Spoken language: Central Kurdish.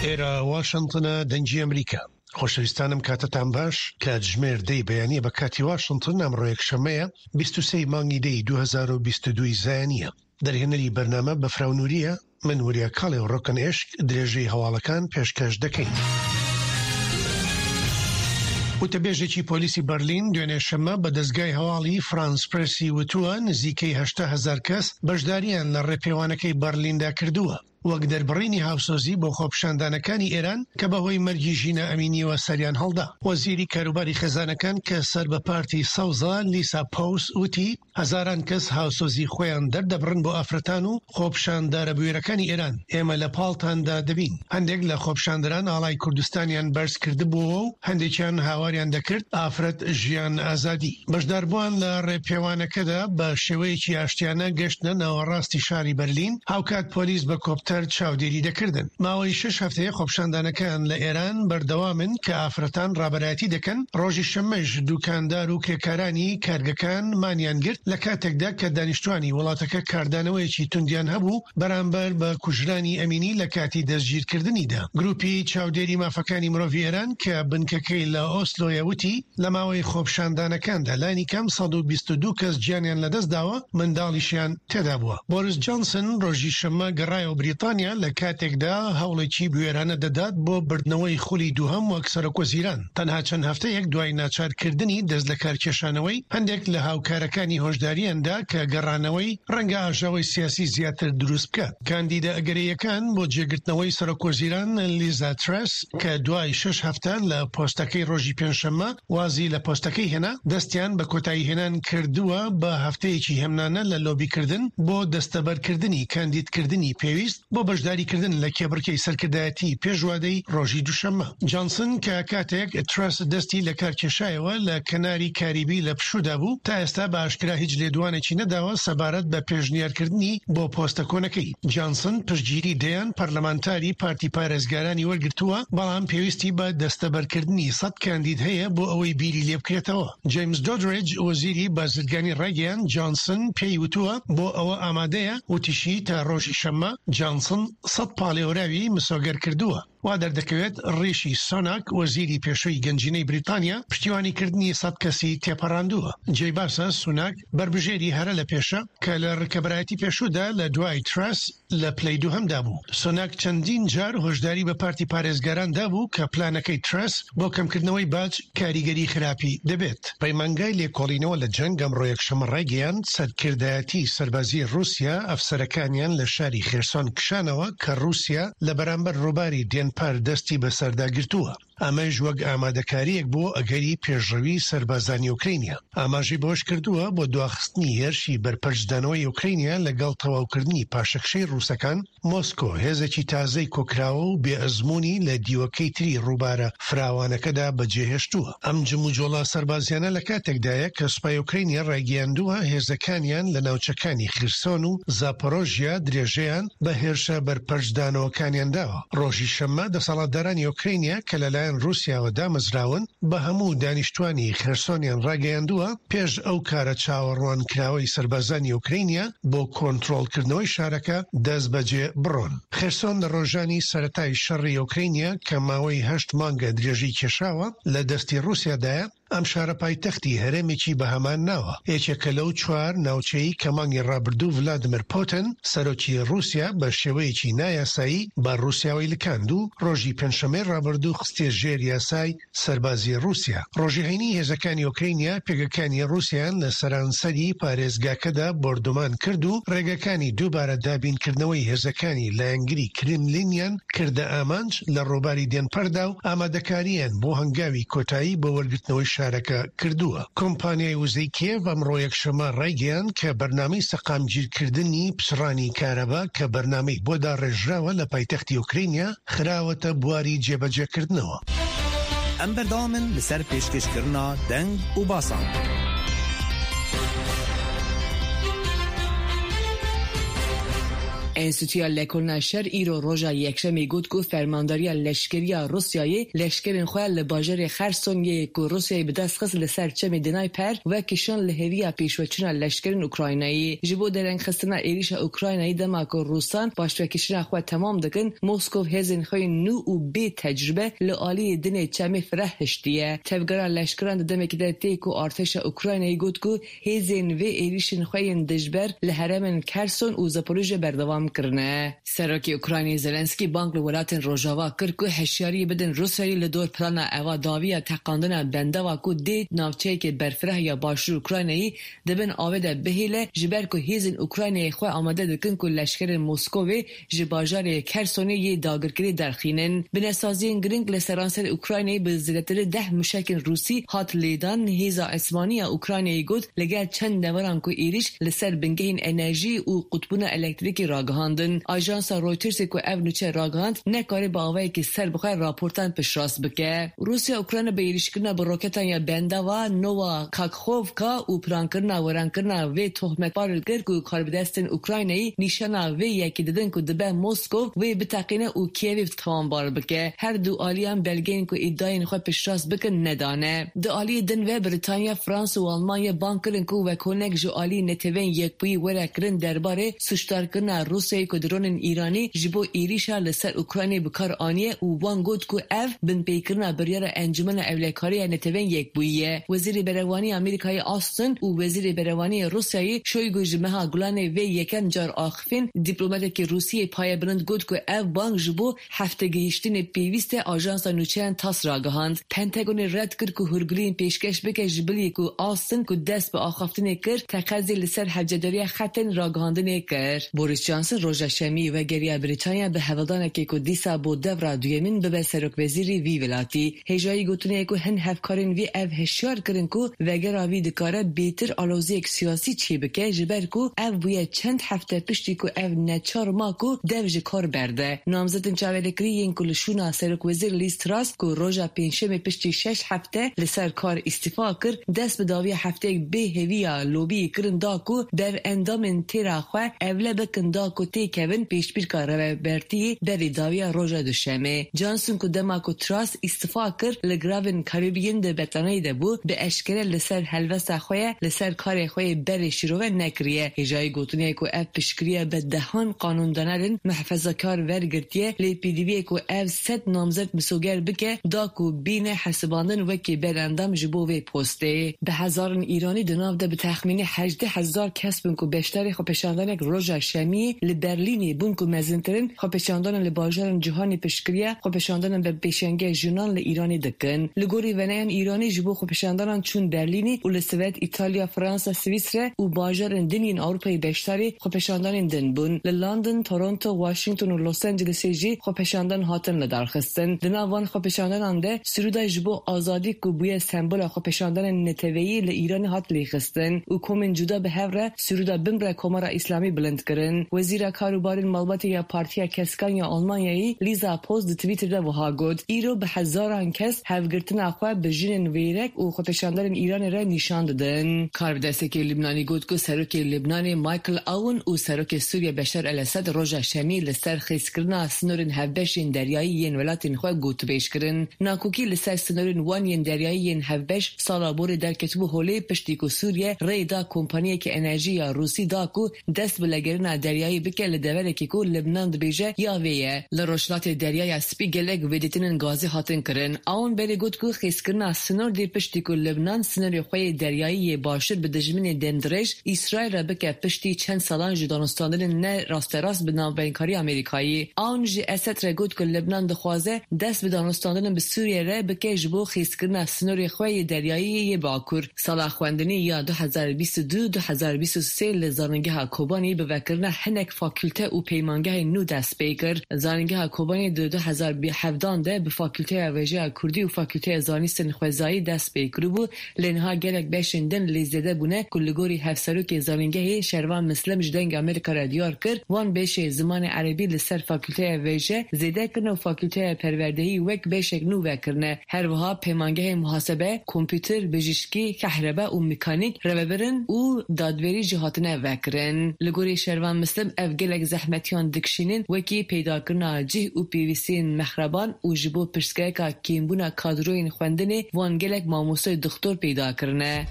ئێرە واشنتنە دەنگی ئەمریکا. خۆشەویستانم کاتتان باش کاتژمێر دەی بەیانیە بە کاتی واشنتن ئەمڕۆ یەکشەممەیە 23 مانگی دەی 2022 زایانیە دەرهێنەری بەرنامە بەفراو نوریە من وریا کاڵێ و ڕۆکن ئێشک درێژەی هەواڵەکان پێشکەش دەکەین. وتەبێژێکی پۆلیسی بەرلین دوێنێ شەممە بە دەزگای هەواڵی فرانس پرێسی وتووە نزیکەی 80 هەزار کەس بەشدارییان لە ڕێپێوانەکەی بەرلیندا کردووە وەک دەربڕینی هاوسۆزی بۆ خۆپیشاندانەکانی ئێران کە بەهۆی مەرگی ژینا ئەمینییەوە سەریان هەڵدا. وەزیری کاروباری خێزانەکان کە سەر بە پارتی سەوزە لیسا پۆوس وتی، هەزاران کەس هاوسۆزی خۆیان دەردەبڕن بۆ ئافرەتان و خۆپیشاندارە بوێرەکانی ئێران، ئێمە لە پاڵتاندا دەبین. هەندێک لە خۆپیشاندەران ئاڵای کوردستانیان بەرز کردبووەوە و هەندێکیان هاواریان دەکرد ئافرەت ژیان ئازادی. بەشداربووان لە ڕێپێوانەکەدا بە شێوەیەکی ئاشتیانە گەشتنە ناوەڕاستی شاری بەرلین، هاوکات پۆلیس بە کۆپتەر چاودێری دەکردن. ماوەی شەش هەفتەیە خۆپیشاندانەکان لە ئێران بەردەوامن کە ئافرەتان ڕابەرایەتی دەکەن، ڕۆژی شەممەش دوکاندار و کرێکارانی کارگەکان مانیان گرت لە کاتێکدا کە دانیشتوانی وڵاتەکە کاردانەوەیەکی توندیان هەبوو بەرامبەر بە کوژرانی ئەمینی لە کاتی دەستگیرکردنیدا. گروپی چاودێری مافەکانی مرۆڤی ئێران کە بنکەکەی لە ئۆسلۆیە وتی، لە ماوەی خۆپیشاندانەکاندا لانیکەم 122 کەس گیانیان لەدەستداوە، منداڵیشیان تێدا بووە. بۆریس جۆنسن ڕۆژی شەممە گەڕایەوە بریتانیا لە کاتێکدا هەوڵێکی بوێرانە دەدات بۆ بردنەوەی خولی دووهەم وەک سەرۆکوەزیران، تەنها چەند هەفتەیەک دوای ناچارکردنی دەستلەکارکێشانەوەی، هەندێک لە هاوکارەکانی هۆشدارییان دا کە گەڕانەوەی ڕەنگە ئاژاوەی سیاسی زیاتر دروست بکات. کاندیدە ئەگەرەییەکان بۆ جێگرتنەوەی سەرۆکوەزیران لیزا ترەس کە دوای شەش هەفتە لە پۆستەکەی ڕۆژی پێنجشەممە وازی لە پۆستەکەی هێنا، دەستیان بە کۆتاییهێنان کردووە بە هەفتەیەکی هێمنانە لە لۆبیکردن بۆ دەستەبەرکردنی کاندیدکردنی پێویست بۆ بەشداریکردن لە کێبڕکێی سەرکردایەتی پێش وادەی ڕۆژی دووشەممە. جانسن کە کاتێک ترەس دەستی لەکارکێشایەوە لە کەناری کاریبی لە پشوودا بوو، تا ئێستا بە ئاشکرا هیچ لێدوانێکی نەداوە سەبارەت بە پێشنیارکردنی بۆ پۆستە کۆنەکەی. جانسن پشتگیری دەیان پەرلەمانتاری پارتی پارێزگارانی وەرگرتووە، بەڵام پێویستی بە دەستەبەرکردنی سەد کاندید هەیە بۆ ئەوەی بیری لێبکرێتەوە. جەیمس دۆدرێج، وەزیری بازرگانی ڕایگەیاند، جانسن پێی وتووە بۆ ئەوە ئامادەیە، وتیشی تا ڕۆژی شەممە جانسن سەد پاڵێوراوی مسۆگەر کردووە. وا دەردەکەوێت ڕیشی سۆناک، وەزیری پێشووی گەنجینەی بریتانیا، پشتیوانیکردنی سەد کەسی تێپەڕاندووە. جێی باسە سوناک بەربژێری هەرە لە پێشە کە لە ڕکەبەرایەتی پێشوودا لە دوای ترەس لە پلەی دووهەمدا بوو. سوناک چەندین جار هۆشداری بە پارتی پارێزگاران دابوو کە پلانەکەی ترەس بۆ کەمکردنەوەی باج کاریگەری خراپی دەبێت. پەیمانگای لێکۆڵینەوە لە جەنگ ئەمڕۆ یەکشەممە ڕایگەیاند، سەرکردایەتی سەربازیی ڕووسیا ئەفسەرەکانیان لە شاری خێرسۆن کشانەوە کە ڕووسیا لە بەرامبەر ڕووباری دێنپەر دەستی بەسەردا گرتووە، ئەمەش وەک ئامادەکارییەک بۆ ئەگەری پێشڕەوی سەربازانی ئۆکرەینیا. ئاماژەی بەوەشکردووە، بۆ دواخستنی هێرشی بەرپەرچدانەوەی ئۆکرەینیا لەگەڵ تەواوکردنی پاشەکشەی ڕووسەکان، مۆسکۆ هێزێکی تازەی کۆکراوە و بێ ئەزموونی لە دیوەکەی تری ڕووبارە فراوانەکەدا بەجێهێشتووە. ئەم جموجۆڵە سەربازیانە لە کاتێکدایە کە سوپای ئۆکرەینیا ڕایگەیاندووە هێزەکانیان لە ناوچەکانی خیرسۆن و زاپۆرۆژیا درێژەیان بە هێرشە بەرپەرچدانەوەکانیان داوە. ڕۆژی شەممە دەسەڵاتدارانی ئۆکرەینیا کە لەلایەن ڕووسیاوە دامەزراون بە هەموو دانیشتوانی خێرسۆنیان ڕاگەیاندووە پێش ئەو کارە چاوەڕوانکراوەی سەربازانی ئۆکرەینیا بۆ کۆنترۆڵکردنەوەی شارەکە دەستبەجێ بڕۆن. خێرسۆن لە ڕۆژانی سەرەتای شەڕی ئۆکرەینیا کە ماوەی هەشت مانگە درێژەی کێشاوە لە دەستی ڕووسیادایە، ئەم شارە پایتەختی هەرێمێکی بە هەمان ناوە، یەکێکە لەو چوار ناوچەی کە مانگی ڕابردوو ڤلادیمێر پوتن، سەرۆکی ڕووسیا بە شێوەیەکی نایاسایی بە ڕووسیاوەی لکاند و ڕۆژی پێنجشەممەی ڕابردوو خستیە ژێر یاسای سەربازی ڕووسیا. ڕۆژی هەینی هێزەکانی ئۆکرەینیا پێگەکانی ڕووسیایان لە سەرانسەری پارێزگاکەدا بۆردومان کرد و ڕێگەکانی دووبارە دابینکردنەوەی هێزەکانی لایەنگری کرملینیان کردە ئامانج لە ڕووباری دێنپەردا و ئامادەکارییان بۆ هەنگاوی کۆتایی بۆ وەرگرتنەوەی شارەکە کردووە. کۆمپانیای وزەی کیێڤ ئەمڕۆ یەکشەممە ڕایگەیاند کە بەرنامەی سەقامگیرکردنی پچڕانی کارەبا کە بەرنامەی بۆ داڕێژراوە لە پایتەختی ئۆکرەینیا خراوەتە بواری جێبەجێکردنەوە. ئەم بەردەوامن لەسەر پێشکێشکردنا دەنگ و باسان. Enstîtuya Lekolina Şer îro roja Yekşemê got ku Fermandariya Leşkeriya Rûsyayê leşkerên xwe li bajarê Xerson yê ku Rûsyayê bi dest xist li ser çemê Dnayper vekişand li hêviya pêşveçûna leşkerên Ukraynayê. Ji bo derengxistina êrîşa Ukraynayê dema ku Rûsan paşvekişina xwe temam dikin, Moskow hêzên xwe yên nû û bê tecrûbe li aliyê din ê çemê fireh hiştiye. Tevgera leşkeran di demekî de tê ku artêşa Ukraynayê got ku Hêzên vê êrîşên xwe yên dijber li herêmên Kherson û Zaporijye berdewam kirine. Serokê Ukraynayê Zelenskiy bang li welatên Rojava kir ku hişyariyê bidin Rûsyayê li dor plana eva dawî ya teqandina bendava ku dê navçeyeke berfireh ya başûr Ukraynayê di bin avê de bihêle ji ber ku hêzên Ukraynayê xwe amade dikin ku leşkerên Moskovê ji bajarê Khersonê yê dagirkirî derxînin. Binesaziyên giring li seranserê Ukraynayê bi zêdetirî deh mûşekên Rûsî hat lêdan, Hêza Esmanî ya Ukraynayê got li gel çend deveran ku êrîş li ser bingehên enerjî û qutbûna elektrîkê ragihandin. Ajansa Reutersê ku ev nûçe ragihand nekarî bi awayekî serbixwe raportan piştrast bike. Rûsya Ukrayna bi êrîşkirina bi roketan ya bendava Nova Kakhovka û plankirina wêrankirina vê tohmetbar kir ku karbidestên Ukraynayî nîşana vê yekê didin ku dibe Moskow wê biteqîne û Kîevê tawanbar bike. Her du aliyan belgeyên ku îdayên xwe piştrast bikin nedane. Di aliyê din ve Brîtanya, Fransa û Almanya bang kirin ku vekonek ji aliyê Neteweyên Yekbûyî were kirin derbarê Sûcdarkirina Rûsyayê ku dronên Îranî ji bo êrîşa li ser Ukraynayê bi kar aniye û wan got ku ev binpêkirina biryara Encûmena Ewlekarî ya Neteweyên Yekbûyî ye. Wezîrê Berevaniyê Amerîkayê Austin û Wezîrê Berevaniyê Rûsyayê Shoigu ji meha Gulanê vê yekem car axifîn. Dîplomatekî Rûsî yê payebilind got ku ev bang ji bo Heftegihîştinê pêwîst e ajansa nûçeyan TASS ragihand. Pentagonê red kir ku hûrguliyên pêşkeş bike ji bilî ku Austin ku dest bi axaftinê kir teqezê li ser hewcedariya xetên ragihandinê kir. Boris Johnson roja şemiyê vegeriya Brîtanya bi hevldanekê ku dîsa bo devra duyemîn bibe serokwezîrê vî welatî. Hêjayî gotinê ye ku hin hevkarên vî ev hişyar kirin ku vegera vî dikare bêtir aloziyek siyasî çêbike ji ber ku ev bûye çend hefte piştî ku ev neçar ma ku dev ji kar berde. Namzetên çaverêkirî yên ku li şûna Serokwezîr Liz Truss ku roja pêncşemê piştî şeş hefte li ser kar îstîfa kir, dest bi dawiya hefteyek bê hêviya lobiyê kirin da ku dev endamên têra xwe evle bikin da ku têkevin pêşbirka rêvebertiyê berî dawiya roja duşemê. Johnson ku dema ku Truss îstifa kir li Giravên Karîbiyên di betlaneyê de bû, bi eşkere li ser helwesta xwe ye li ser karê xwe yê berê şîrove nekiriye. Hêjayî gotinê ye ku ev piştgiriya bi dehan qanûndanerên mihefezakar vergirtiye lê pêdiviyê ku ev sed namzed misoger bike da ku bîne hesibandin wekî berendam ji bo vê postê. Bi hezaran Îranî di nav de bi texmînî 18,000 kes bûn ku beşdarê xwepêşandanek roja Şemiyê li Berlînê bûn ku mezintirîn xwepêşandanan li bajarên cîhanê piştgiriya xwepêşandanan bi pêşengiya jinan li Îranê dikin. Li gorî veneyan Îranî ji bo xwepêşandanan çûn Berlînê û li Swêd, Îtalya, Fransa, Swîsre û bajarên din yên Ewropayê beşdarî xwepêşandanên din bûn. Li London, Toronto, Washington û Los Angelesê jî xwepêşandan hatin lidarxistin. Di nav van xwepêşandanan de Sirûda ji bo azadî ku bûye sembola xwepêşandanên neteweyî li Îranê hat lêxistin û komên cuda bi hev re sirûda Bimre Komara Îslamî bilind kirin. Wezîra Karûbarên Malbatê ya Partiya Keskan ya Almanyayê Lîza Post di Twîtter de wiha got, Îro bi hezaran kes hevgirtina xwe bi jinên wêrek û xwepêşanderên Îranê re nîşan didin. Karbidestekê Libnanî got ku Serokê Libnanê Michael Aoun û Serokê Sûriye Beşar El Esed roja Şemiyê li ser xêzkirina sinorên hevbeş yên deryayî yên welatên xwe gotûbêj kirin. Nakokî li ser sinorên wan yên deryayî yên hevbeş sala borê derketibû holê piştî ku Sûriye rê da kompaniyeke enerjî ya Rûsî da ku dest bi legerina deryayî bike li deverekê ku Libnan dibêje ya vê ye. Li rojhilatê Deryaya Spî gelek vêdîtinên gazê hatin kirin. Aoun berê got ku xêzkirina sinor dê piştî ku Libnan sinorê xwe yê deryayî yê başûr bi dijminê demdirêj Îsraîl re bike piştî çend salan ji danûstandinên ne rasterast bi navbeynkariya Amerîkayê. Aoun ji Esed re got ku Libnan dixwaze dest bi danûstandinên bi Sûriyeyê re bike ji bo xêzkirina sinorê xwe yê deryayî yê bakur. Sala xwendinê ya 2022 2023 li Zanîngeha Kobanê bi vekirina hinek fakulte û peymangehên nû dest pê kir. Zanîngeha Kobanê di 2017 de bi Fakulteya Wêjeya Kurdî û Fakulteya Zanîstên Xwezayî dest pê kiribû lê niha gelek beşên din lê zêde bûne ku li gorî hevserokê zanîngehê Şervan Mislim ji Dengê Amerîka re diyar kir wan beşê zimanê erebî li ser Fakulteya Wêje zêde kirine û Fakulteya Perwerdehî wek beşek nû vekirine. Her wiha peymangehên muhasebe, kompûter, bijîşkî, kehrebe û mekanîk, rêvebirin û dadwerî jî hatine vekirin. Li gorî Şervan Mislim ev. ev gelek zehmetiyan dikişînin wekî peydakirina cih û pêwîstiyên mexreban û ji bo pirsgirêka kêmbûna kadroyên xwendinê wan gelek mamosteyê dixtor peyda kirine.